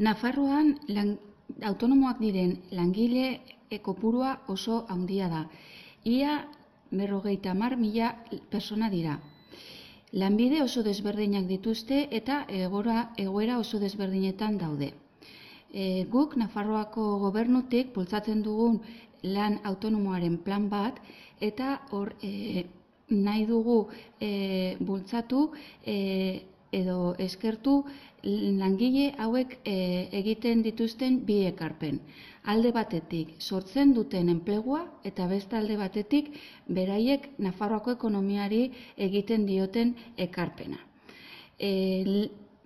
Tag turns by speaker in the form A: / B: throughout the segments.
A: Nafarroan autonomoak diren langile kopurua oso handia da. Ia 50.000 persona dira. Lanbide oso desberdinak dituzte eta egoera oso desberdinetan daude. Guk Nafarroako gobernutik bultzatzen dugun lan autonomoaren plan bat eta hor nahi dugu bultzatu edo eskertu langile hauek egiten dituzten bi ekarpen. Alde batetik sortzen duten enplegua eta beste alde batetik beraiek Nafarroako ekonomiari egiten dioten ekarpena.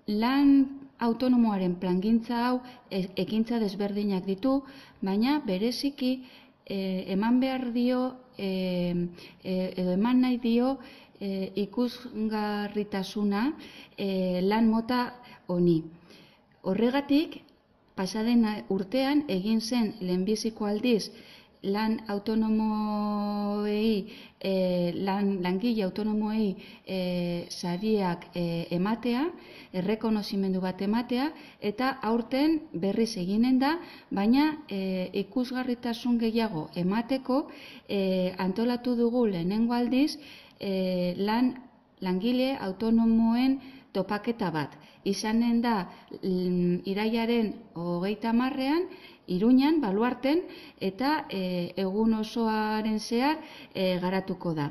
A: Lan autonomoaren plangintza hau ekintza desberdinak ditu, baina bereziki eman behar dio edo eman nahi dio ikusgarritasuna lan mota honi. Horregatik, pasaden urtean egin zen lehenbiziko aldiz lan autonomoei, langile autonomoei sariak ematea, errekonozimendu bat ematea, eta aurten berriz eginen da, baina ikusgarritasun gehiago emateko antolatu dugu lehenengo aldiz langile autonomoen topaketa bat. Izanen da irailaren 30ean, Iruñan, Baluarten, eta egun osoaren zehar garatuko da.